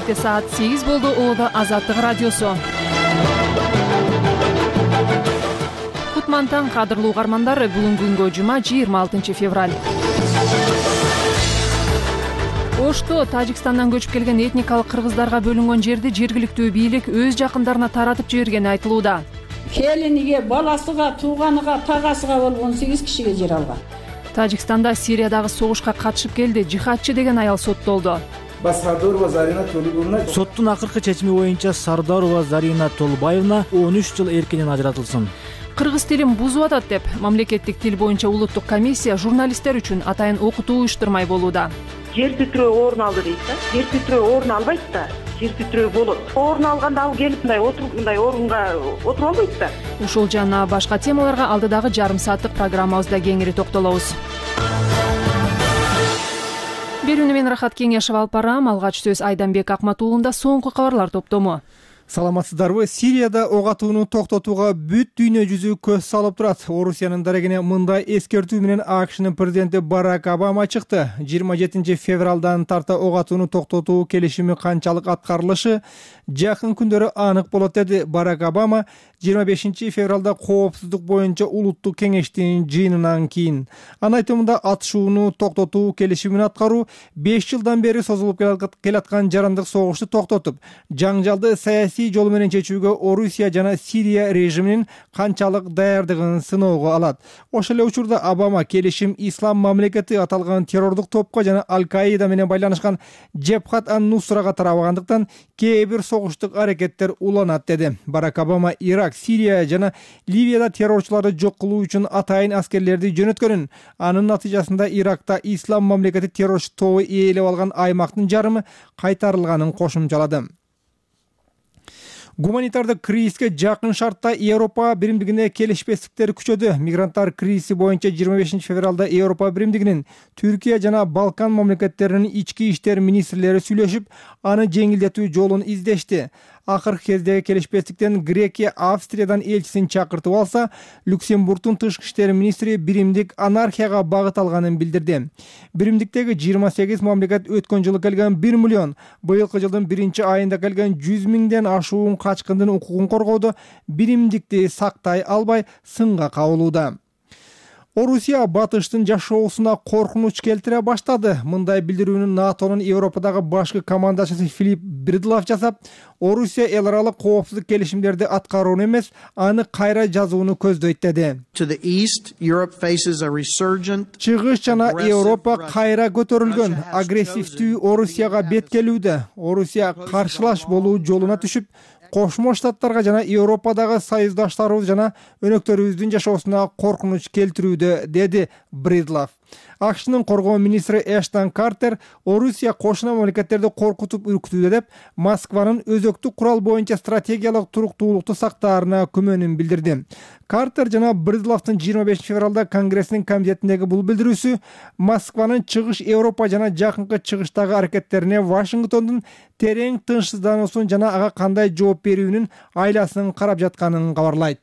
Кенттте саат 8 болду. Ода Азаттык радиосу. Кутман таң, кадырлуу угармандар. Бүгүнкү күнгө жума 26 февраль. Ошто Тажикстандан көчүп келген этникалык кыргыздарга бөлүнгөн жерди жергиликтүү бийлик өз жакындарына таратып жибергени айтылууда. Келиниге, баласыга, тууганыга, тагасыга болгон 8 кишиге жер алган. Тажикстанда Сириядагы согушка катышып келди жихадчы деген аял соттолду. Соттун акыркы чечими боюнча Сардарова Зарина Толбаевна 13 жыл эркинен ажыратылсын. Кыргыз тилин бузуп атат деп мамлекеттик тил боюнча улуттук комиссия журналисттер үчүн атайын окутуу уюштурмай болууда. Жер титирөө орун алды дейт да. Жер титирөө орун албайт да. Жер титирөө болот. Орун алганда ал келип мындай орунга отуруп албайт да. Ушул жана башка темаларга алдыдагы жарым сааттык программабызда кеңири токтолобуз. Берүүнү мен Рахат Кеңешева алып барам. Алгач сөз Айданбек Акматуулунда соңку кабарлар топтому. Саламатсыздарбы? Сирияда ок атууну токтотууга бүт дүйнө жүзү көз салып турат. Орусиянын дарегине мындай эскертүү менен АКШнын президенти Барак Обама чыкты. 27 февралдан тарта ок атууну токтотуу келишими канчалык аткарылышы жакын күндөрү анык болот, деди Барак Обама 25 февралда коопсуздук боюнча улуттук кеңештин жыйынынан кийин. Анын айтымында атышууну токтотуу келишимин аткаруу 5 жылдан бери созулуп келаткан жарандык согушту токтотуп, жаңжалды саясий жол менен чечүүгө Орусия жана Сирия режиминин канчалык даярдыгын сыноого алат. Ошол эле учурда Обама келишим Ислам мамлекети аталган террордук топко жана Аль-Каида менен байланышкан Джебхат ан-Нусрага тарабагандыктан кээ бир согуштук аракеттер уланат, деди. Барак Обама Ирак, Сирия жана Ливияда террорчуларды жок кылуу үчүн атайын аскерлерди жөнөткөнүн, анын натыйжасында Иракта Ислам мамлекети террорчу тобу ээлеп алган аймактын жарымы кайтарылганын кошумчалады. Гуманитардык кризиске жакын шартта Европа биримдигине келишпестиктер күчөдү. Мигранттар кризиси боюнча 25 февралда Европа биримдигинин Түркия жана Балкан мамлекеттеринин ички иштер министрлери сүйлөшүп, аны жеңилдетүү жолун издешти. Акыркы кездеги келишпестиктен Грекия Австриядан элчисин чакыртып алса, Люксембургдун тышкы иштер министри биримдик анархияга багыт алганын билдирди. Биримдиктеги 28 мамлекет өткөн жылы келген 1 миллион, быйылкы жылдын 1-айында келген 100 миңден ашуун качкындын укугун коргоодо биримдикти сактай албай сынга кабылууда. Орусия батыштын жашоосуна коркунуч келтире баштады. Мындай билдирүүнү НАТОнун Европадагы башкы командачысы Филипп Бридлав жасап, Орусия эл аралык коопсуздук келишимдерди аткарууну эмес, аны кайра жазууну көздөйт, деди. Чыгыш жана Европа кайра көтөрүлгөн, агрессивдүү Орусияга бет келүүдө. Орусия каршылаш болуу жолуна түшүп, Кошмо Штаттарга жана Европадагы союздаштарыбыз жана өнөктөрүбүздүн жашоосуна коркунуч келтирүүдө, деди Бридлав. АКШнын коргоо министри Эштон Картер Орусия кошуна мамлекеттерди коркутуп үркүтүүдө деп Москванын өзөктүк курал боюнча стратегиялык туруктуулукту сактаарына күмөнүн билдирди. Картер жана Бридлавдын 25 февралда Конгресстин комитетиндеги бул билдирүүсү Москванын чыгыш Европа жана жакынкы чыгыштагы аракеттерине Вашингтондун терең тынчсыздануусун жана ага кандай жооп берүүнүн айласын карап жатканын кабарлайт.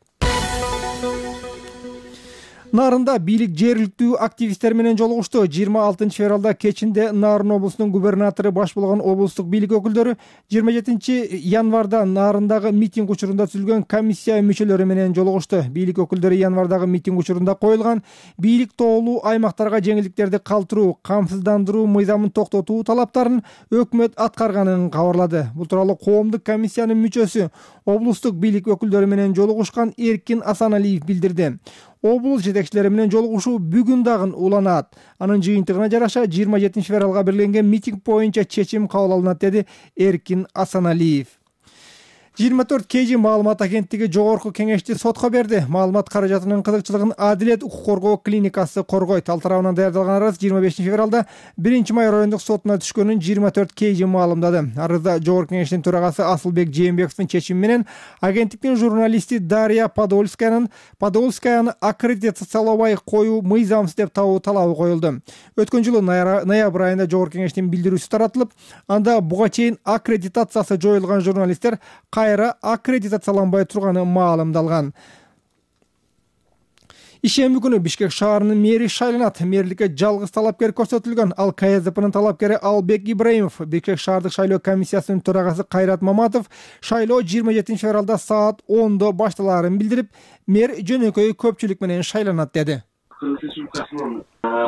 Нарында бийлик жергиликтүү активисттер менен жолугушту. 26 февралда кечинде Нарын облусунун губернатору баш болгон облустук бийлик өкүлдөрү 27 январда Нарындагы митинг учурунда түзүлгөн комиссия мүчөлөрү менен жолугушту. Бийлик өкүлдөрү январдагы митинг учурунда коюлган бийлик тоолуу аймактарга жеңилдиктерди калтыруу, камсыздандыруу мыйзамын токтотуу талаптарын өкмөт аткарганын кабарлады. Бул тууралуу коомдук комиссиянын мүчөсү, облустук бийлик өкүлдөрү менен жолугушкан Эркин Асаналиев билдирди. Облус жетекчилери менен жолугушуу бүгүн дагы уланат. Анын жыйынтыгына жараша 27 февралга белгиленген митинг боюнча чечим кабыл алынат, деди Эркин Асаналиев. 24 KG маалымат агенттиги жогорку кеңешти сотко берди. Маалымат каражатынын кызыкчылыгын Адилет укук коргоо клиникасы коргойт. Ал тарабынан даярдалган арыз 25 февралда 1-май райондук сотуна түшкөнүн 24 KG маалымдады. Арызда жогорку кеңештин төрагасы Асылбек Жээнбековдун чечими менен агенттиктин журналисти Дарья Подольскаяны аккредитациялабай коюу мыйзамсыз деп табуу талабы коюлду. Өткөн жылы ноябрь айында жогорку кеңештин билдирүүсү таратылып, анда буга чейин аккредитациясы жоюлган журналисттер кайра аккредитацияланбай турганы маалымдалган. Ишемби күнү Бишкек шаарынын мэри шайланат. Мэрликке жалгыз талапкер көрсөтүлгөн. Ал КСДПнын талапкери Албек Ибраимов. Бишкек шаардык шайлоо комиссиясынын төрагасы Кайрат Маматов шайлоо 27 февралда саат 10 башталаарын билдирип, мэр жөнөкөй көпчүлүк менен шайланат деди. Кыргыз Республикасынын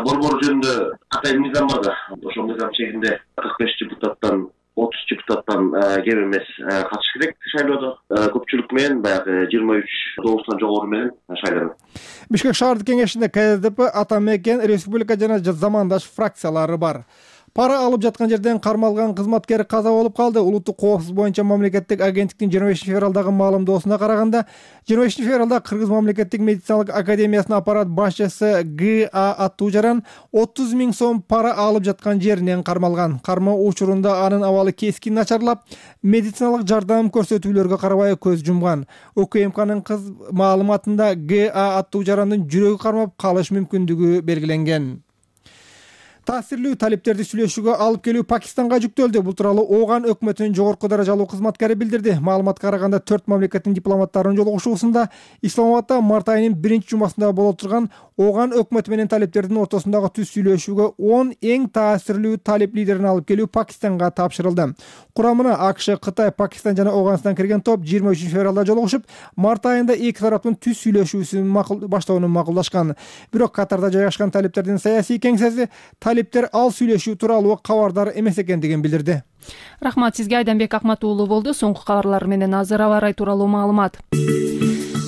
борбору жөнүндө катай мыйзам бар да. Ошол мыйзам чегинде 45 депутаттан 30 депутаттан кем эмес катыш керек шайлоодо. Көпчүлүк менен баягы 23 добустан жогору менен шайланат. Бишкек шаардык кеңешинде КСДП, Ата Мекен, Республика жана замандаш фракциялары бар. Пара алып жаткан жерден кармалган кызматкер каза болуп калды. Улуттук коопсуздук боюнча мамлекеттик агенттиктин 25 февралдагы маалымдоосуна караганда, 25 февралда Кыргыз мамлекеттик медициналык академиясынын аппарат башчысы Г.А. Аттуужаран 30 000 сом пара алып жаткан жеринен кармалган. Кармоо учурунда анын абалы кескин начарлап, медициналык жардам көрсөтүүлөргө карабай көз жумган. УКМКнын маалыматында Г.А. Аттуужарандын жүрөгү кармап калыш мүмкүндүгү белгиленген. Таасирлүү талиптерди сүйлөшүүгө алып келүү Пакистанга жүктөлдү. Бул тууралуу Ооган өкмөтүнүн жогорку даражалуу кызматкери билдирди. Маалыматка караганда 4 мамлекеттин дипломаттарынын жолугушуусунда Исламабадда март айынын 1-жумасында боло турган Ооган өкмөтү менен талиптердин ортосундагы түз сүйлөшүүгө 10 эң таасирлүү талип лидерин алып келүү Пакистанга тапшырылды. Курамына АКШ, Кытай, Пакистан жана Ооганстан кирген топ 23 февралда жолугушуп, март айында эки тараптын түз сүйлөшүүсүн баштоону макулдашкан. Бирок Катарда жайгашкан талиптердин саясий кеңсеси талиптер ал сүйлөшүү тууралуу кабардар эмес экендигин билдирди. Рахмат сизге, Айданбек Акмат уулу болду. Соңку кабарлар менен азыр аба ырайы тууралуу маалымат.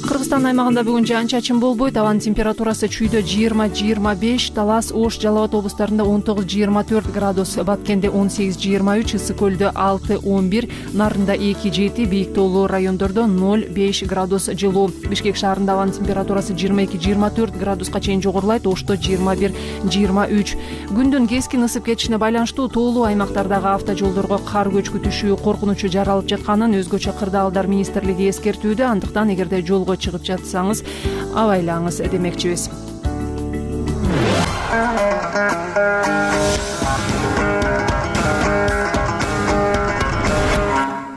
Кыргызстан аймагында бүгүн жаан-чачын болбойт. Абанын температурасы чүйдө 20-25, Талас, Ош, Жалал Абад облустарында 19-24 градус, Баткенде 18-23, Ысык көлдө 6-11, Нарында 2-7, Бийик тоолуу райондордо 0-5 градус жылуу. Бишкек шаарында абанын температурасы 22-24 градуска чейин жогорулайт, Ошто 21-23. Күндүн кескин ысып кетишине байланыштуу тоолуу аймактардагы автожолдорго кар көчкү түшүү коркунучу жаралып жатканын өзгөчө кырдаалдар министрлиги эскертүүдө. Андыктан эгерде жолго чыгып жатсаңыз абайлаңыз демекчибиз.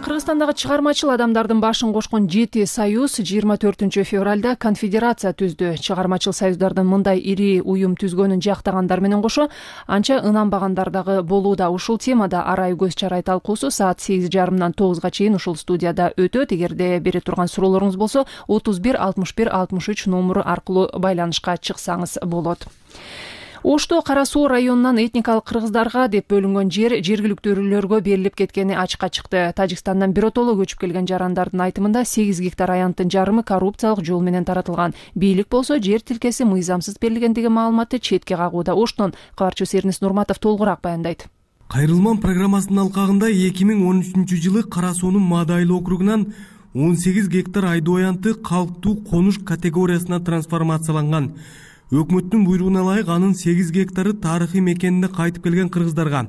Кыргызстандагы чыгармачыл адамдардын башын кошкон 7 союз 24 февралда конфедерация түздү. Чыгармачыл союздардын мындай ири уюм түзгөнүн жактагандар менен кошо анча ынанбагандар дагы болууда. Ушул темада арай көз чарай талкуусу саат 8:30 9 чейин ушул студияда өтөт. Эгерде бере турган суроолоруңуз болсо 31 61 63 номуру аркылуу байланышка чыксаңыз болот. Ошто Кара Суу районунан этникалык кыргыздарга деп бөлүнгөн жер жергиликтүүлөргө берилип кеткени ачыкка чыкты. Тажикстандан биротоло көчүп келген жарандардын айтымында 8 гектар аянттын жарымы коррупциялык жол менен таратылган. Бийлик болсо жер тилкеси мыйзамсыз берилгендиги маалыматты четке кагууда. Оштон кабарчыбыз Эрнис Нурматов толугураак баяндайт. Кайрылман программасынын алкагында 2013 жылы Кара Суунун Маадайлы округунан 18 гектар айдоо аянты калктуу конуш категориясына трансформацияланган. Өкмөттүн буйругуна ылайык анын 8 гектары тарыхый мекенине кайтып келген кыргыздарга,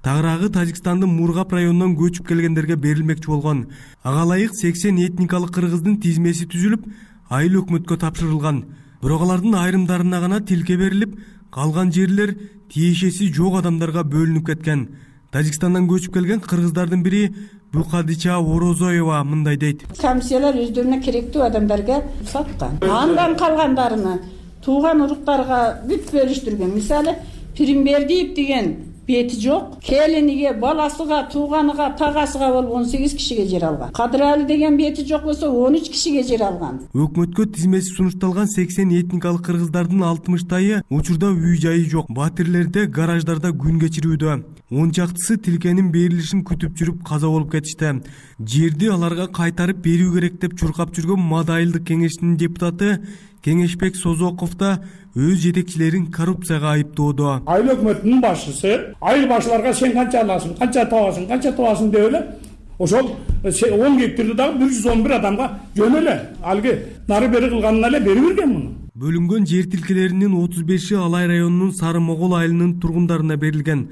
тагыраагы Тажикстандын Мургап районунан көчүп келгендерге берилмекчи болгон. Ага ылайык 80 этникалык кыргыздын тизмеси түзүлүп, айыл өкмөткө тапшырылган. Бирок алардын айрымдарына гана тилке берилип, калган жерлер тиешеси жок адамдарга бөлүнүп кеткен. Тажикстандан көчүп келген кыргыздардын бири Букадича Орозоева мындай дейт. Комиссиялар өздөрүнө керектүү адамдарга саткан. Андан калгандарыны тууган уруктарга бүт бөлүштүргөн. Мисалы, Пиримбердиев деген бети жок, келиниге, баласыга, тууганыга, тагасыга болуп 18 кишиге жер алган. Кадыралы деген бети жок болсо 13 кишиге жер алган. Өкмөткө тизмеси сунушталган 80 этникалык кыргыздардын 60-тайы учурда үй-жайы жок, батирлерде, гараждарда күн кечирүүдө. 10 чактысы тилкенин берилишин күтүп жүрүп каза болуп кетишти. Жерди аларга кайтарып берүү керек деп чуркап жүргөн Маадайылдык кеңешинин депутаты Кеңешбек Созоков да өз жетекчилерин коррупцияга айыптоодо. Айыл өкмөтүнүн башчысы айыл башчыларга сен канча аласың, канча табасың деп эле ошол 10 гектарды дагы 111 адамга жөн эле алги нары бери кылганына эле берип берген муну. Бөлүнгөн жер тилкелеринин 35-и Алай районунун Сары Могол айылынын тургундарына берилген.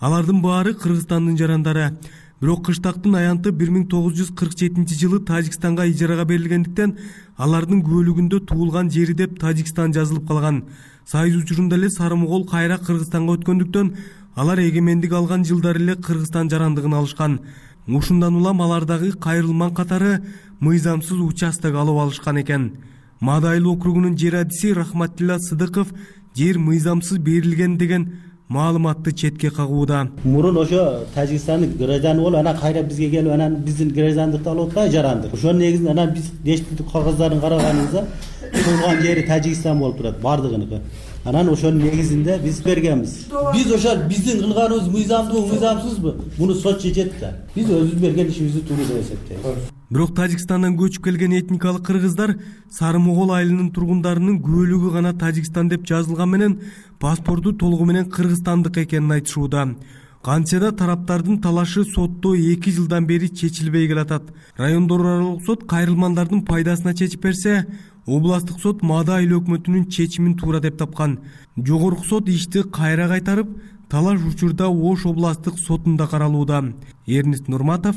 Алардын баары Кыргызстандын жарандары. Бирок кыштактын аянты 1947 жылы Тажикстанга ижарага берилгендиктен алардын көөлүгүндө туулган жери деп Тажикстан жазылып калган. Союз учурунда эле Сары Могол кайра Кыргызстанга өткөндүктөн алар эгемендик алган жылдары эле Кыргызстан жарандыгын алышкан. Ушундан улам алардагы кайрылман катары мыйзамсыз участок алып алышкан экен. Мадайлы округунун жер адиси Рахматилла Сыдыков жер мыйзамсыз берилген деген маалыматты четке кагууда. Мурун ошо Тажикстандын гражданы болуп, анан кайра бизге келип, анан биздин граждандыкты алып атпайбы, жарандык. Ошонун негизинде анан биз дештик кагаздарын караганыбызда турган жери Тажикстан болуп турат, бардыгыныкы. Анан ошонун негизинде биз бергенбиз. Биз ошо биздин кылганыбыз мыйзамдуу, мыйзамсызбы? Муну сот чечет да. Биз өзүбүз берген ишибизди туура деп эсептейбиз. Бирок Тажикстандан көчүп келген этникалык кыргыздар Сары Могол айылынын тургундарынын көөлүгү гана Тажикстан деп жазылган менен паспорту толугу менен кыргызстандык экенин айтышууда. Кантсе да тараптардын талашы сотто 2 жылдан бери чечилбей келатат. Райондор аралык сот кайрылмандардын пайдасына чечип берсе, областык сот Мадайлы өкмөтүнүн чечимин туура деп тапкан. Жогорку сот ишти кайра кайтарып, талаш учурда Ош областык сотунда каралууда. Эрнест Нурматов,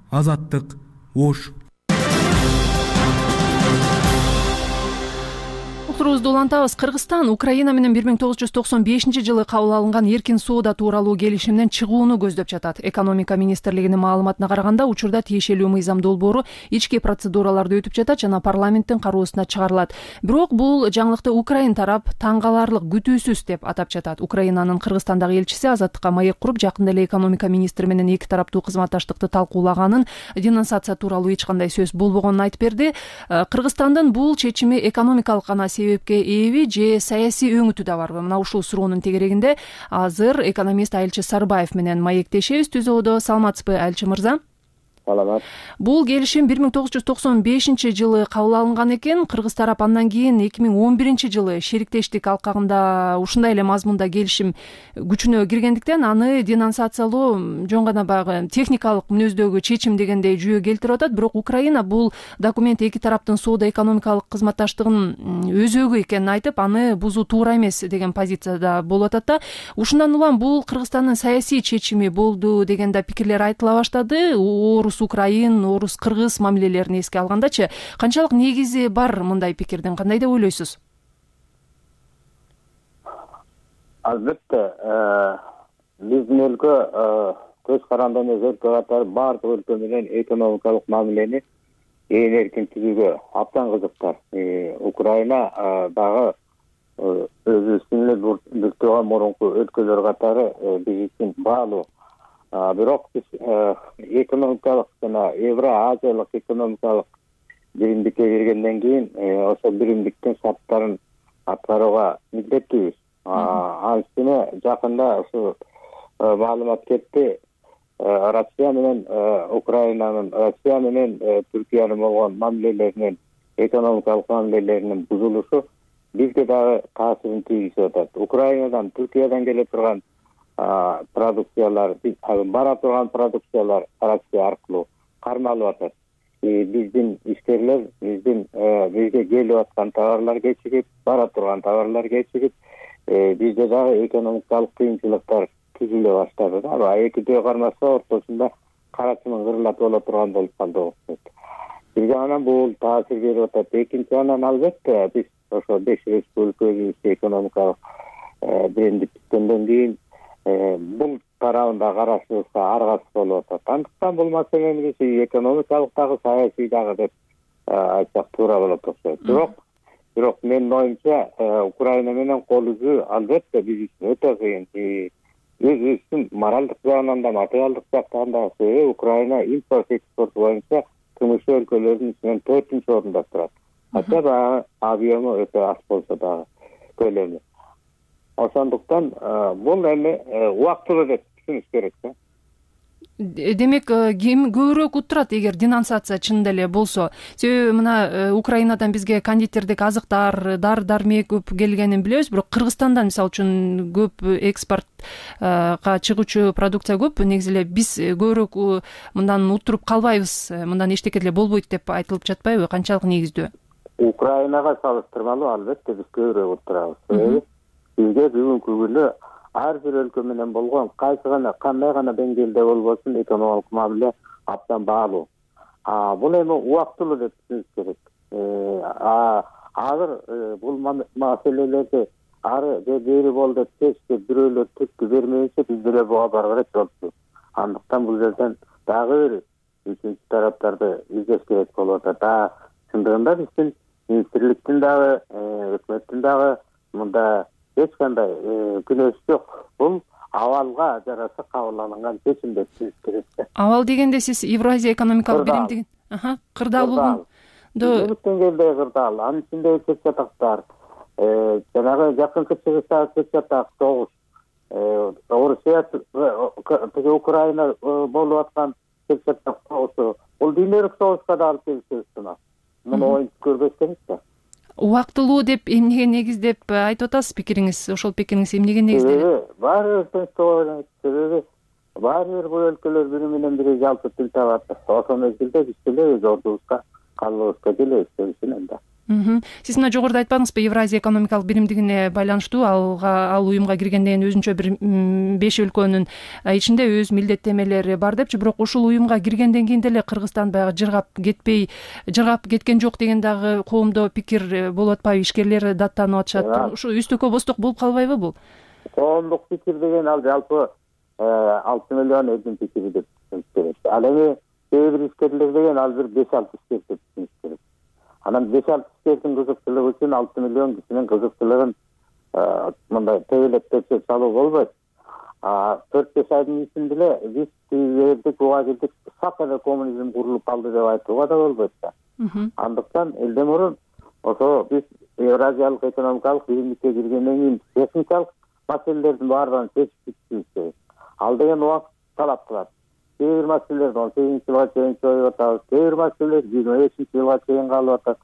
Азаттык, Ош. Уктурубузду улантабыз. Кыргызстан Украина менен 1995-жылы кабыл алынган эркин соода тууралуу келишимден чыгууну көздөп жатат. Экономика министрлигинин маалыматына караганда, учурда тиешелүү мыйзам долбоору ички процедураларды өтүп жатат жана парламенттин кароосуна чыгарылат. Бирок бул жаңылыкты Украин тарап таң каларлык, күтүүсүз деп атап жатат. Украинанын Кыргызстандагы элчиси Азаттыкка маек куруп, жакында эле экономика министри менен эки тараптуу кызматташтыкты талкуулаганын, денонсация тууралуу эч кандай сөз болбогонун айтып берди. Кыргызстандын бул чечими экономикалык гана себепке ээби же саясий өңүтү да барбы? Мына ушул суроонун тегерегинде азыр экономист Айылчы Сарбаев менен маектешебиз. Түз оодо, саламатсызбы Айылчы мырза? Саламат. Бул келишим 1995-жылы кабыл алынган экен. Кыргыз тарап андан кийин 2011-жылы шериктештик алкагында ушундай эле мазмунда келишим күчүнө киргендиктен аны денонсациялоо жөн гана баягы техникалык мүнөздөгү чечим дегендей жүйө келтирип атат. Бирок Украина бул документ эки тараптын соода экономикалык кызматташтыгынын өзөгү экенин айтып, аны бузуу туура эмес деген позицияда болуп атат да. Ушундан улам бул Кыргызстандын саясий чечими болду деген да пикирлер айтыла баштады. Украин, орус, кыргыз мамилелерин эске алгандачы, канчалык негизи бар мындай пикирдин, кандай деп ойлойсуз? Албетте, биздин өлкө көз каранды эмес өлкө катары баардык өлкө менен экономикалык мамилени ээн эркин түзүүгө абдан кызыктар. Украина дагы өзүбүздүн эле биртуган мурунку өлкөлөр катары биз үчүн баалуу. Бирок биз экономикалык жана Евро-Азиялык экономикалык биримдикке киргенден кийин ошол биримдиктин шарттарын аткарууга милдеттүүбүз. Анын үстүнө жакында ушу маалымат кетти. Россия менен Украинанын, Россия менен Түркиянын болгон мамилелеринин, экономикалык мамилелеринин бузулушу бизге дагы таасирин тийгизип атат. Украинадан, Түркиядан келе турган продукциялар, бара турган продукциялар Россия аркылуу кармалып атат. Биздин ишкерлер, бизге келип аткан товарлар кечигип, бара турган товарлар кечигип, бизде дагы экономикалык кыйынчылыктар түзүлө баштады да. Эки жөө кармаса ортосунда карачынын кырылат боло турган болуп калды окшойт. Бир жагынан бул таасир берип атат. Экинчи жагынан албетте биз ошо 5 республика өзүбүздү экономикалык бирдиктенден кийин бул тарабында карашыбызга аргасыз болуп атат. Андыктан бул маселени биз экономикалык дагы, саясий дагы деп айтсак туура болот окшойт. Бирок менин оюмча Украина менен кол үзүү албетте биз үчүн өтө кыйын. Өзүбүздүн моралдык жагынан да, материалдык жактан да Украина импорт экспорт боюнча тумушу өлкөлөрдүн ичинен 4-нчи орунда турат. Ача баягы объему өтө аз болсо дагы көлөмү. Ошондуктан бул эми убактылуу деп түшүнүш керек да. Демек, ким көбүрөөк утурат эгер денонсация чынында эле болсо? Себеби мына Украинадан бизге кондитердик азыктар, дары-дармек көп келгенин билебиз, бирок Кыргызстандан мисалы үчүн көп экспортко чыгуучу продукция көп. Негизи эле биз көбүрөөк мындан утуруп калбайбыз, мындан эчтеке деле болбойт деп айтылып жатпайбы? Канчалык негиздүү? Украинага салыштырмалуу албетте биз көбүрөөк утурабыз. Себеби бизге бүгүнкү күнү ар бир өлкө менен болгон кандай гана деңгээлде болбосун экономикалык мамиле абдан баалуу. Бул эми убактылуу деп түшүнүш керек. Азыр бул маселелерди ары же бери болду деп чечип бирөөлөр түрткү бермейинче биз деле буга баргыла болчу. Андыктан бул жерден дагы бир үчүнчү тараптарды издеш керек болуп атат. Чындыгында биздин министрликтин дагы өкмөттүн дагы мында эч кандай күнөөсү жок. Бул абалга жараша кабыл алынган чечим деп түшүнүш керек да. Абал дегенде сиз Евразия экономикалык биримдигин кырдаал болгондо улут деңгээлдеги кырдаал, анын ичинде чет жатактар, жанагы жакынкы чыгыштагы чет жатак согуш, Орусия тиги Украина болуп аткан чет жатак согушу, бул дүйнөлүк согушка да алып келиши мүмкүн. Муну оюнтуп көрбөш керек да. Убактылуу деп эмнеге негиздеп айтып атасыз пикириңиз? Ошол пикириңиз эмнеге негизделет? Баары бир себеби баары бир бул өлкөлөр бири менен бири жалпы тил табат. Ошол мезгилде биз деле өз ордубузга калыбыбызга келебиз дешинен да. Сиз мына жогоруда айтпадыңызбы, Евразия экономикалык биримдигине байланыштуу ал уюмга киргенден кийин өзүнчө бир 5 өлкөнүн ичинде өз милдеттенмелери бар депчи, бирок ушул уюмга киргенден кийин деле Кыргызстан баягы жыргап кеткен жок деген дагы коомдо пикир болуп атпайбы? Ишкерлер даттанып атышат. Ушу үстөккө босток болуп калбайбы бул? Коомдук пикир деген ал жалпы 6 миллион элдин пикири деп түшүнүш керек. Ал эми кээ бир ишкерлер деген ал бир 5-6 ишкер деп түшүнүш керек. Анан 5-6 ишкердин кызыкчылыгы үчүн 6 миллион кишинин кызыкчылыгын мындай тебелеп текшеп салуу болбойт. 4-5 айдын ичинде эле биз тигилдик буга келдик, сак эле коммунизм курулуп калды деп айтууга да болбойт да. Андыктан элден мурун ошо биз Евразиялык экономикалык биримдикке киргенден кийин техникалык маселелердин баардыгын чечип бүтүшүбүз керек. Ал деген убакыт талап кылат. Кээ бир маселелерди 18-жылга чейин чоюп атабыз, кээ бир маселелер 25-жылга чейин калып атат.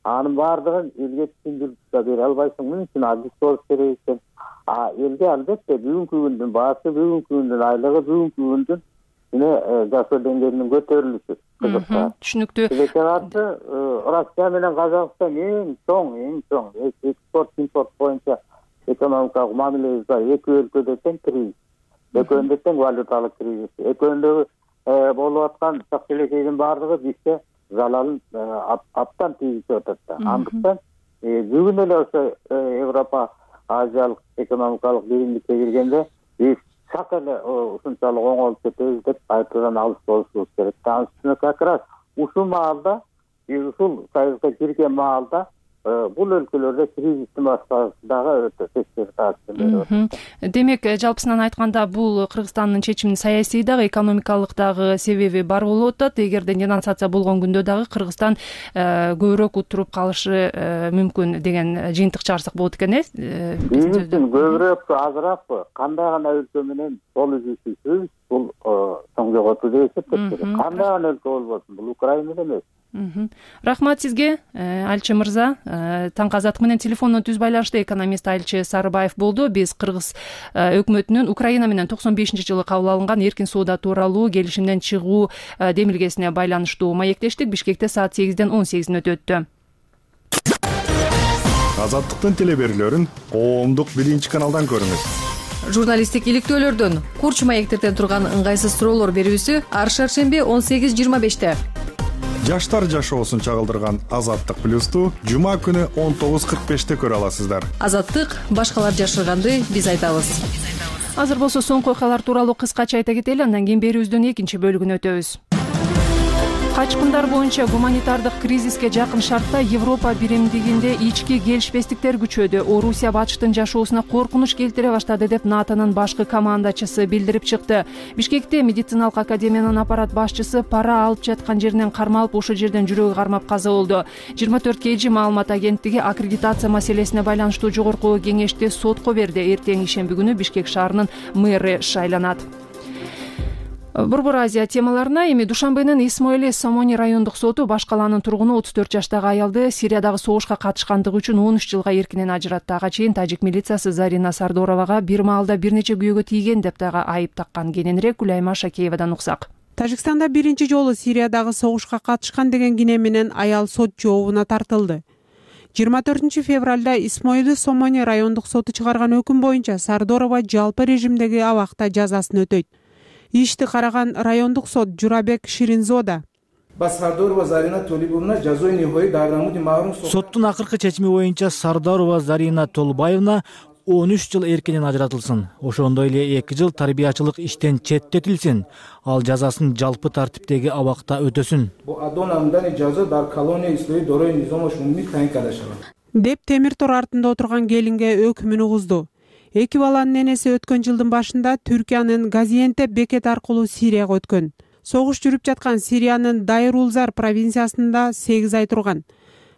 Анын баардыгын элге түшүндүрүп да бере албайсың. Муну үчүн адис болуш керек экен. Элге албетте бүгүнкү күндүн баасы, бүгүнкү күндүн айлыгы, бүгүнкү күндүн жашоо деңгээлинин көтөрүлүшү кызыкта. Түшүнүктүү. Россия менен Казакстан эң чоң экспорт импорт боюнча экономикалык мамилебиз бар. Эки өлкөдө тең кризис. Экөөндө тең валюталык кризис. Экөөндө болуп аткан чак-челекейдин баардыгы бизге залалын аптан тийгизип атат да. Андыктан бүгүн эле ошо Европа Азиялык экономикалык биримдикке киргенде биз чак эле ушунчалык оңолуп кетебиз деп айтуудан алыс болушубуз керек. Анын үстүнө как раз ушул маалда, ушул союзга кирген маалда бул өлкөлөрдө кризистин башталышы дагы өтө тескери таасир берип атат. Демек, жалпысынан айтканда, бул Кыргызстандын чечиминин саясий дагы, экономикалык дагы себеби бар болуп атат. Эгерде денонсация болгон күндө дагы Кыргызстан көбүрөөк утуруп калышы мүмкүн деген жыйынтык чыгарсак болот экен, Биз үчүн көбүрөөкпү, азыраакпы, кандай гана өлкө менен кол үзүшүбүз бул чоң жоготуу деп эсептеп келет. Кандай гана өлкө болбосун, бул Украина эмес. Рахмат сизге, Альчы мырза. Таңкы азаттык менен телефондон түз байланышта экономист Альчы Сарыбаев болду. Биз Кыргыз өкмөтүнүн Украина менен 95-жылы кабыл алынган эркин соода тууралуу келишимден чыгуу демилгесине байланыштуу маектештик. Бишкекте саат 8-ден 18 өтүттү. Азаттыктын телеберүүлөрүн коомдук 1-каналдан көрүңүз. Журналисттик иликтөөлөрдөн, курч маектерден турган ыңгайсыз суроолор берүүсү ар шаршемби 18:25-те. Жаштар жашоосун чагылдырган Азаттык плюсту жума күнү 19:45-те көрө аласыздар. Азаттык башкалар жашырганды биз айтабыз. Азыр болсо соңку окуялар тууралуу кыскача айта кетели, андан кийин берүүбүздүн экинчи бөлүгүнө өтөбүз. Качкындар боюнча гуманитардык кризиске жакын шартта Европа биримдигинде ички келишпестиктер күчөдү. Орусия батыштын жашоосуна коркунуч келтире баштады деп НАТОнун башкы командачысы билдирип чыкты. Бишкекте медициналык академиянын аппарат башчысы пара алып жаткан жеринен кармалып, ошол жерден жүрөгү кармап каза болду. 24 KG маалымат агенттиги аккредитация маселесине байланыштуу жогорку кеңешти сотко берди. Эртең ишемби күнү Бишкек шаарынын мэры шайланат. Борбор Азия темаларына эми Душанбенин Исмоили Сомони райондук соту баш калаанын тургуну 34 жаштагы аялды Сириядагы согушка катышкандыгы үчүн 13 жылга эркинен ажыратты. Ага чейин тажик милициясы Зарина Сардоровага бир маалда бир нече күйөөгө тийген деп дагы айып таккан. Кененирээк Гүлайма Шакеевадан уксак. Тажикстанда биринчи жолу Сириядагы согушка катышкан деген кине менен аял сот жообуна тартылды. 24 февралда Исмоили Сомони райондук соту чыгарган өкүм боюнча Сардорова жалпы режимдеги абакта жазасын өтөйт. Ишти караган райондук сот Журабек Ширинзода. Соттун акыркы чечими боюнча Сардорова Зарина Толбаевна 13 жыл эркинен ажыратылсын. Ошондой эле 2 жыл тарбиячылык иштен четтетилсин. Ал жазасын жалпы тартиптеги абакта өтөсүн. Деп темир тор артында отурган келинге өкүмүн угузду. 2 баланын энеси өткөн жылдын башында Түркиянын Газиентеп бекети аркылуу Сирияга өткөн. Согуш жүрүп жаткан Сириянын Дайр-Улзар провинциясында 8 ай турган.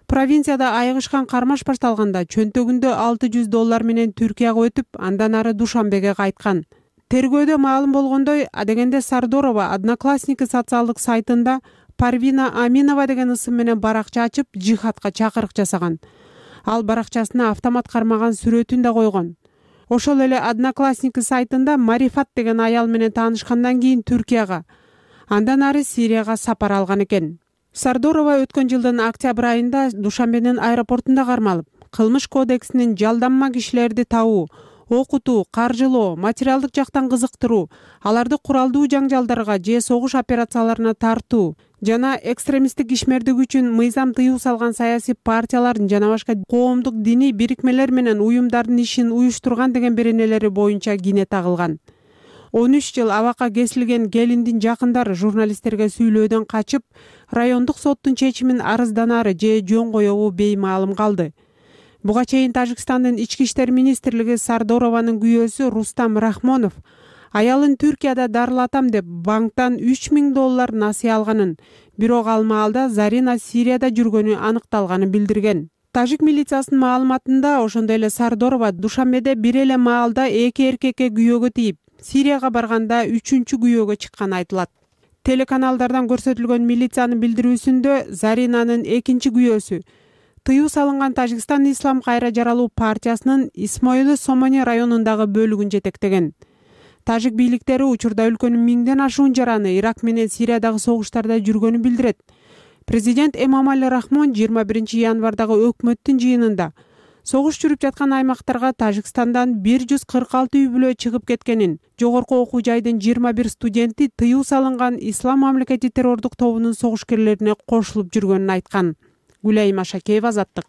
Провинцияда айыгышкан кармаш башталганда чөнтөгүндө $600 менен Түркияга өтүп, андан ары Душанбеге кайткан. Тергөөдө маалым болгондой, адегенде Сардорова Одноклассники социалдык сайтында Парвина Аминова деген ысым менен баракча ачып, жихадка чакырык жасаган. Ал баракчасына автомат кармаган сүрөтүн да койгон. Ошол эле Одноклассники сайтында Марифат деген аял менен таанышкандан кийин Түркияга, андан ары Сирияга сапар алган экен. Сардорова өткөн жылдын октябрь айында Душанбенин аэропортунда кармалып, кылмыш кодексинин жалданма кишилерди табуу, окутуу, каржылоо, материалдык жактан кызыктыруу, аларды куралдуу жаңжалдарга же согуш операцияларына тартуу жана экстремисттик ишмердик үчүн мыйзам тыюу салган саясий партиялардын жана башка коомдук диний бирикмелер менен уюмдардын ишин уюштурган деген беренелери боюнча кине тагылган. 13 жыл абакка кесилген келиндин жакындары журналисттерге сүйлөөдөн качып, райондук соттун чечимин арызданары же жөн коебу беймаалым калды. Буга чейин Тажикстандын ички иштер министрлиги Сардорованын күйөөсү Рустам Рахмонов аялын Түркияда дарылатам деп банктан $3000 насыя алганын, бирок ал маалда Зарина Сирияда жүргөнү аныкталганын билдирген. Тажик милициясынын маалыматында ошондой эле Сардорова Душанбеде бир эле маалда 2 эркекке күйөөгө тийип, Сирияга барганда 3-чү күйөөгө чыкканы айтылат. Телеканалдардан көрсөтүлгөн милициянын билдирүүсүндө Заринанын 2-чи күйөөсү тыюу салынган Тажикстан Ислам кайра жаралуу партиясынын Исмоили Сомони районундагы бөлүгүн жетектеген. Тажик бийликтери учурда өлкөнүн 1000ден ашуун жараны Ирак менен Сириядагы согуштарда жүргөнүн билдирет. Президент Эмомали Рахмон 21 январдагы өкмөттүн жыйынында согуш жүрүп жаткан аймактарга Тажикстандан 146 үй бүлө чыгып кеткенин, жогорку окуу жайдын 21 студенти тыюу салынган Ислам мамлекети террордук тобунун согушкерлерине кошулуп жүргөнүн айткан. Гүлайым Ашакеева, Азаттык.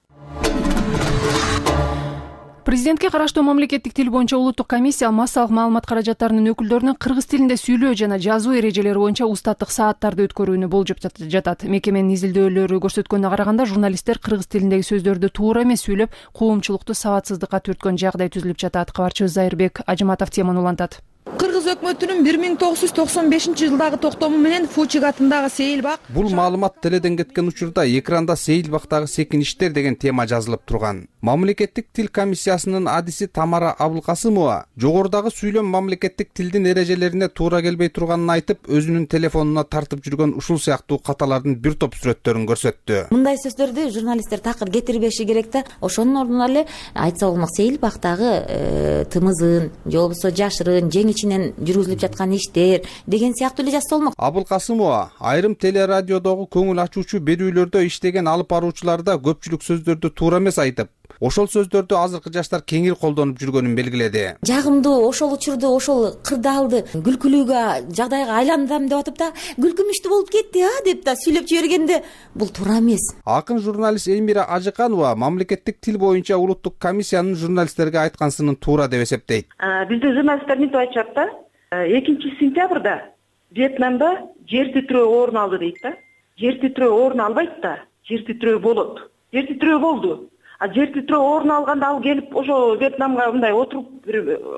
Президентке караштуу мамлекеттик тил боюнча улуттук комиссия массалык маалымат каражаттарынын өкүлдөрүнө кыргыз тилинде сүйлөө жана жазуу эрежелери боюнча устаттык сааттарды өткөрүүнү болжоп жатат. Мекеменин изилдөөлөрү көрсөткөнүнө караганда журналисттер кыргыз тилиндеги сөздөрдү туура эмес сүйлөп, коомчулукту сабатсыздыкка түрткөн жагдай түзүлүп жатат. Кабарчыбыз Зайырбек Ажыматов теманы улантат. Кыргыз өкмөтүнүн 1995-жылдагы токтому менен Фучик атындагы Сейилбак. Бул маалымат теледен кеткен учурда экранда Сейилбактагы секиништер деген тема жазылып турган. Мамлекеттик тил комиссиясынын адиси Тамара Абылкасымова жогорудагы сүйлөм мамлекеттик тилдин эрежелерине туура келбей турганын айтып, өзүнүн телефонуна тартып жүргөн ушул сыяктуу каталардын бир топ сүрөттөрүн көрсөттү. Мындай сөздөрдү журналисттер такыр кетирбеши керек да. Ошонун ордуна эле айтса болмок Сейилбактагы тымызын, же болбосо жашырын, ичинен жүргүзүлүп жаткан иштер деген сыяктуу эле жазса болмок. Абылкасымова айрым телерадиодогу көңүл ачуучу берүүлөрдө иштеген алып баруучуларда көпчүлүк сөздөрдү туура эмес айтып, ошол сөздөрдү азыркы жаштар кеңири колдонуп жүргөнүн белгиледи. Жагымдуу ошол учурду, ошол кырдаалды күлкүлүүгө жагдайга айландырам деп атып да, күлкүмүштүү болуп кетти деп да сүйлөп жибергенде бул туура эмес. Акын журналист Элмира Ажыканова мамлекеттик тил боюнча улуттук комиссиянын журналисттерге айткансынын туура деп эсептейт. Биздин журналисттер мынтип айтышат да, 2-сентябрда Вьетнамда жер титирөө орун алды дейт да. Жер титирөө орун албайт да, жер титирөө болот. Жер титирөө болду. А жер титирөө орун алганда ал келип ошо Вьетнамга мындай отуруп,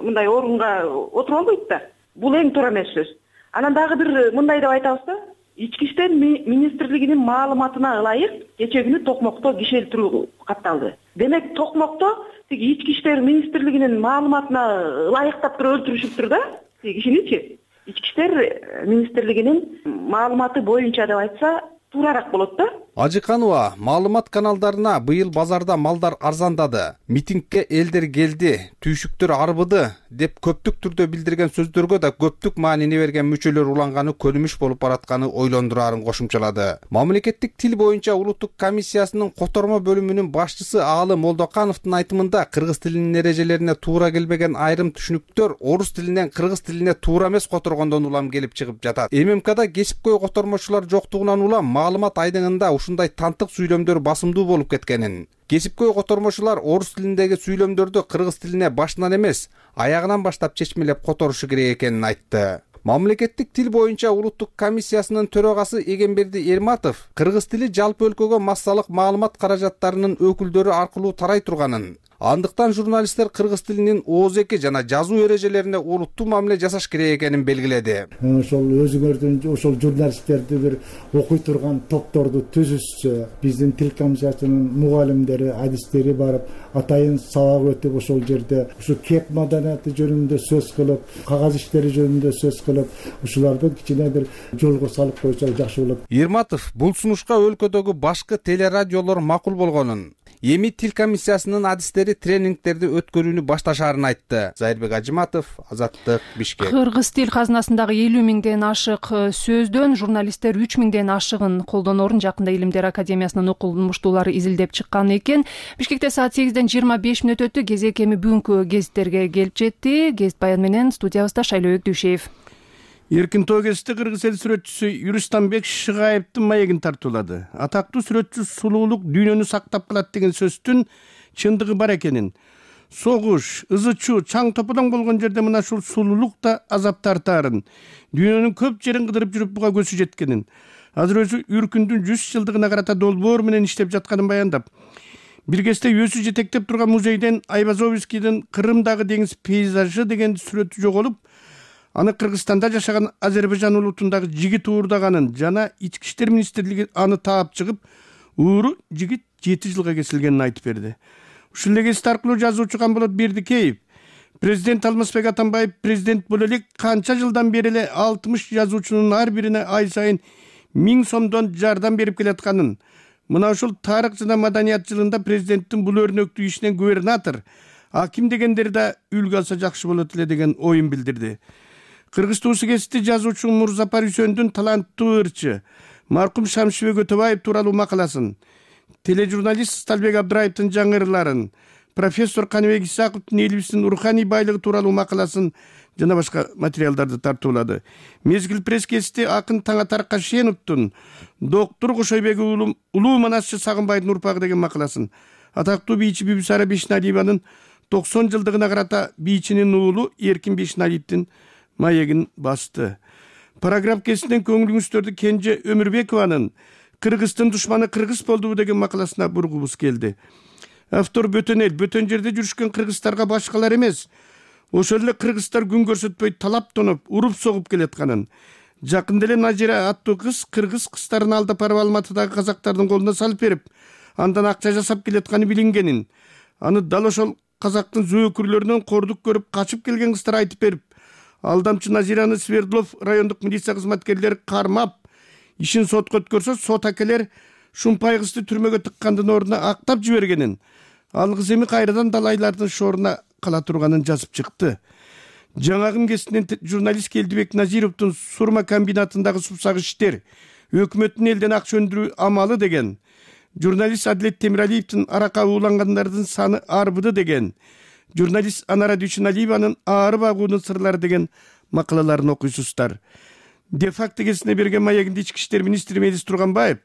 мындай орунга отуруп албайт да. Бул эң туура эмес сөз. Анан дагы бир мындай деп айтабыз да, Ички иштер министрлигинин маалыматына ылайык кече күнү Токмокто кишелтирүү катталды. Демек Токмокто тиги ички иштер министрлигинин маалыматына ылайыктап туруп өлтүрүшүптүр да тиги кишиничи. Ички иштер министрлигинин маалыматы боюнча деп айтса туурараак болот да. Ажыканова маалымат каналдарына быйыл базарда малдар арзандады, митингге элдер келди, түйшүктөр арбыды деп көптүк түрдө билдирген сөздөргө да көптүк маанини берген мүчөлөр уланганы көнүмүш болуп баратканы ойлондурарын кошумчалады. Мамлекеттик тил боюнча улуттук комиссиясынын котормо бөлүмүнүн башчысы Аалы Молдокановдун айтымында кыргыз тилинин эрежелерине туура келбеген айрым түшүнүктөр орус тилинен кыргыз тилине туура эмес которгондон улам келип чыгып жатат. ММКда кесипкөй котормочулар жоктугунан улам маалымат айдыңында ушундай тантык сүйлөмдөр басымдуу болуп кеткенин, кесипкөй котормочулар орус тилиндеги сүйлөмдөрдү кыргыз тилине башынан эмес, аягынан баштап чечмелеп которушу керек экенин айтты. Мамлекеттик тил боюнча улуттук комиссиясынын төрагасы Эгемберди Эрматов кыргыз тили жалпы өлкөгө массалык маалымат каражаттарынын өкүлдөрү аркылуу тарай турганын, андыктан журналисттер кыргыз тилинин ооз-эки жана жазуу эрежелерине олуттуу мамиле жасаш керек экенин белгиледи. Ошол өзүңөрдүн ошол журналисттерди бир окуй турган топторду түзүшсө, биздин тил комиссиясынын мугалимдери, адистери барып, атайын сабак өтүп, ошол жерде ушу кеп маданияты жөнүндө сөз кылып, кагаз иштери жөнүндө сөз кылып, ушуларды кичине бир жолго салып койсо жакшы болот. Эрматов бул сунушка өлкөдөгү башкы телерадиолор макул болгонун, эми тил комиссиясынын адистери тренингтерди өткөрүүнү башташаарын айтты. Зайырбек Ажыматов, Азаттык, Бишкек. Кыргыз тил казынасындагы 50 миңден ашык сөздөн журналисттер 3 миңден ашыгын колдонорун жакында Илимдер академиясынын окумуштуулары изилдеп чыккан экен. Бишкекте саат 8ден 25 мүнөт өттү. Кезек эми бүгүнкү гезиттерге келип жетти. Гезит баян менен студиябызда Шайлообек Дүйшеев. Эркин тоо гезити кыргыз эл сүрөтчүсү Юристанбек Шыгаевдин маегин тартуулады. Атактуу сүрөтчү сулуулук дүйнөнү сактап калат деген сөздүн чындыгы бар экенин, согуш, ызы-чуу, чаң топодоң болгон жерде мына ушул сулуулук да азап тартаарын, дүйнөнүн көп жерин кыдырып жүрүп буга көзү жеткенин, азыр өзү Үркүндүн 100 жылдыгына карата долбоор менен иштеп жатканын баяндап, бир кезде өзү жетектеп турган музейден Айвазовскийдин Кырымдагы деңиз пейзажы деген сүрөтү жоголуп, аны Кыргызстанда жашаган Азербайжан улутундагы жигит уурдаганын жана Ички иштер министрлиги аны таап чыгып, ууру жигит 7 жылга кесилгенин айтып берди. Ушул эле гезит аркылуу жазуучу Камболот Бердикеев, президент Алмазбек Атамбаев президент боло элек канча жылдан бери эле 60 жазуучунун ар бирине ай сайын 1000 сомдон жардам берип келатканын, мына ушул тарых жана маданият жылында президенттин бул өрнөктүү ишинен губернатор, аким дегендер да үлгү алса жакшы болот эле деген оюн билдирди. Кыргыз туусу гезити жазуучу Мурзапар Үсөндүн таланттуу ырчы маркум Шамшыбек Өтөбаев тууралуу макаласын, тележурналист Сталбек Абдыраевдин жаңырыларын, профессор Каныбек Исаковдун элибиздин руханий байлыгы тууралуу макаласын жана башка материалдарды тартуулады. Мезгил пресс гезити акын Таңатар Кашеновдун доктор Кошойбек улуу манасчы Сагынбайдын урпагы деген макаласын, атактуу бийчи Бибисара Бешналиеванын 90 жылдыгына карата бийчинин уулу Эркин Бешналиевдин маегин басты. Параграф гезитинен көңүлүңүздөрдү Кенже Өмүрбекованын Кыргыздын душманы кыргыз болдубу деген макаласына бургубуз келди. Автор бөтөн эл, бөтөн жерде жүрүшкөн кыргыздарга башкалар эмес, ошол эле кыргыздар күн көрсөтпөй талап тоноп, уруп согуп келатканын, жакында эле Назира аттуу кыз кыргыз кыздарын алдап барып Алматыдагы казактардын колуна салып берип, андан акча жасап келатканы билингенин, аны дал ошол казактын зөөкүрлөрүнөн кордук көрүп качып келген кыздар айтып берип, алдамчы Назираны Свердлов райондук милиция кызматкерлери кармап, ишин сотко өткөрсө, сот акелер Шумпай кызды түрмөгө тыккандын ордуна актап жибергенин, ал кыз эми кайрадан далайлардын шооруна кала турганын жазып чыкты. Жаңагы гезитинен журналист Келдибек Назировдун Сурма комбинатындагы супсак иштер, өкмөттүн элден акча өндүрүү амалы деген, журналист Адилет Темиралиевдин аракка уулангандардын саны арбыды деген, журналист Анара Дүйшөналиеванын ары багуунун сырлары деген макалаларын окуйсуздар. Де-факто гезитине берген маегинде Ички иштер министри Мелис Турганбаев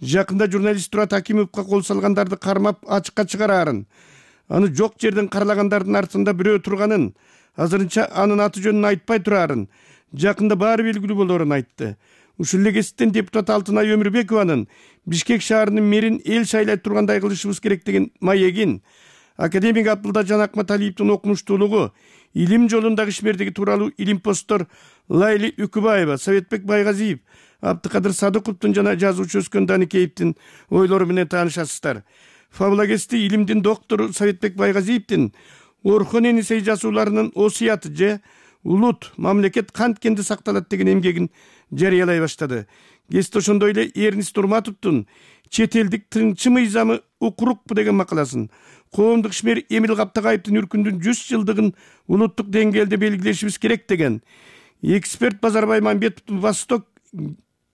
жакында журналист Турат Акимовго кол салгандарды кармап ачыкка чыгараарын, аны жок жерден каралагандардын артында бирөө турганын, азырынча анын аты жөнүн айтпай тураарын, жакында баары белгилүү болоорун айтты. Ушул эле гезиттен депутат Алтынай Өмүрбекованын Бишкек шаарынын мэрин эл шайлай тургандай кылышыбыз керек деген маегин, академик Абдылда Жанакматалиевдин окумуштуулугу, илим жолундагы ишмердиги тууралуу илимпоздор Лайли Үкүбаева, Советбек Байгазиев, Абдыкадыр Садыковдун жана жазуучу Өскөн Даникеевдин ойлору менен таанышасыздар. Фабула гезити илимдин доктору Советбек Байгазиевдин Орхон Энисей жазууларынын осуяты же улут, мамлекет канткенде сакталат деген эмгегин жарыялай баштады. Гезит ошондой эле Эрнис Турматовдун чет элдик тыңчы мыйзамы укурукпу деген макаласын, коомдук ишмер Эмил Каптагаевдин Үркүндүн 100 жылдыгын улуттук деңгээлде белгилешибиз керек деген, эксперт Базарбай Мамбетовдун Восток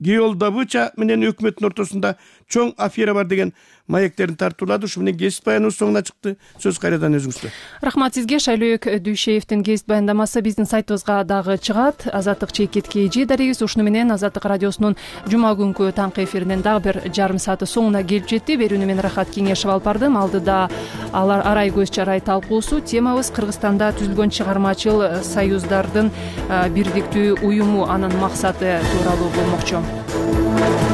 геолдобыча менен өкмөттүн ортосунда чоң афера бар деген маектерин тартуулады. Ушу менен кесип баяныбыз соңуна чыкты. Сөз кайрадан өзүңүздө. Рахмат сизге. Шайлөөк Дүйшеевдин кесип баяндамасы биздин сайтыбызга дагы чыгат. Азаттык чекит KG дарегибиз. Ушуну менен Азаттык радиосунун жума күнкү таңкы эфиринин дагы бир жарым сааты соңуна келип жетти. Берүүнү мен Рахат Кеңешева алып бардым. Алдыда арай көз чарай талкуусу. Темабыз Кыргызстанда түзүлгөн чыгармачыл союздардын бирдиктүү уюму, анын максаты тууралуу болмокчу.